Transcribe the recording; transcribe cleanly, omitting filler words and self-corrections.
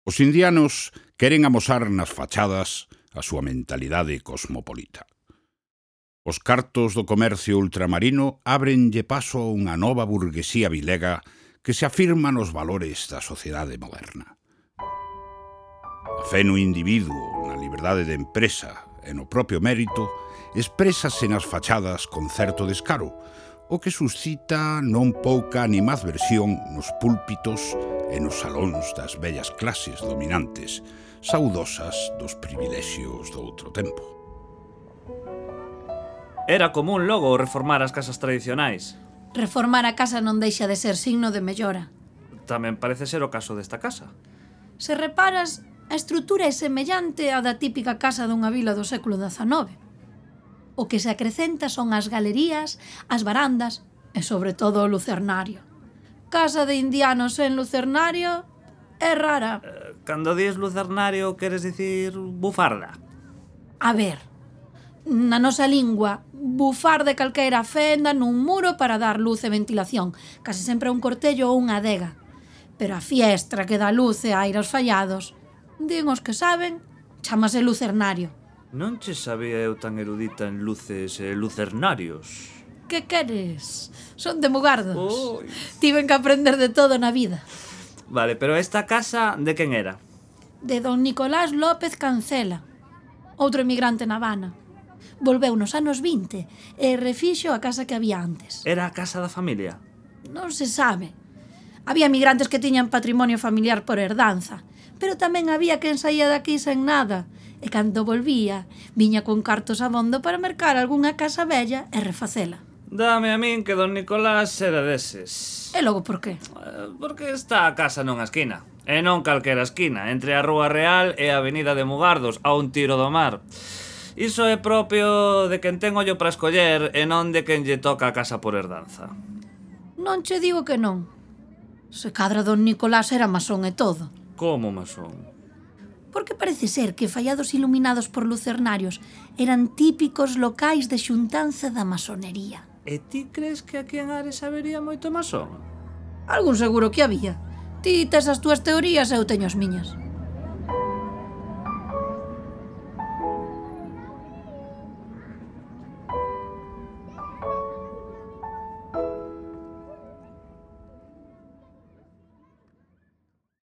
Os indianos queren amosar nas fachadas a súa mentalidade cosmopolita. Os cartos do comercio ultramarino ábrenlle paso a unha nova burguesía vilega que se afirma nos valores da sociedade moderna. A fe no individuo, na liberdade de empresa e no propio mérito, exprésase nas fachadas con certo descaro, o que suscita non pouca animadversión nos púlpitos e nos salóns das vellas clases dominantes, saudosas dos privilexios do outro tempo. Era común logo reformar as casas tradicionais. Reformar a casa non deixa de ser signo de mellora. Tamén parece ser o caso desta casa. Se reparas, a estrutura é semellante á da típica casa dunha vila do século XIX. O que se acrecenta son as galerías, as varandas e, sobre todo, o lucernario. Casa de indianos sen lucernario é rara. Cando dis lucernario, queres dicir bufarda? A ver, na nosa lingua, bufar de calquera fenda nun muro para dar luz e ventilación, case sempre un cortello ou unha adega. Pero a fiestra que dá luz e aire aos fallados, din os que saben, chámase lucernario. Non che sabía eu tan erudita en luces e lucernarios. Que queres? Son de Mugardos. Oi. Tiven que aprender de todo na vida. Vale, pero esta casa de quen era? De don Nicolás López Cancela, outro emigrante na Habana. Volveu nos anos 20 e refixo a casa que había antes. Era a casa da familia? Non se sabe. Había emigrantes que tiñan patrimonio familiar por herdanza, pero tamén había quen saía daqui sen nada, e cando volvía, viña con cartos abondo para mercar algunha casa bella e refacela. Dame a min que don Nicolás era deses. E logo por qué? Porque está a casa nunha esquina. E non calquera esquina, entre a Rúa Real e a Avenida de Mugardos, a un tiro do mar. Iso é propio de quen ten ollo para escoller e non de quen lle toca a casa por herdanza. Non che digo que non. Se cadra don Nicolás era masón e todo. Como masón? Porque parece ser que fallados iluminados por lucernarios eran típicos locais de xuntanza da masonería. E ti crees que aquí en Ares habería moito masón? Algún seguro que había. Ti tes as túas teorías e eu teño as miñas.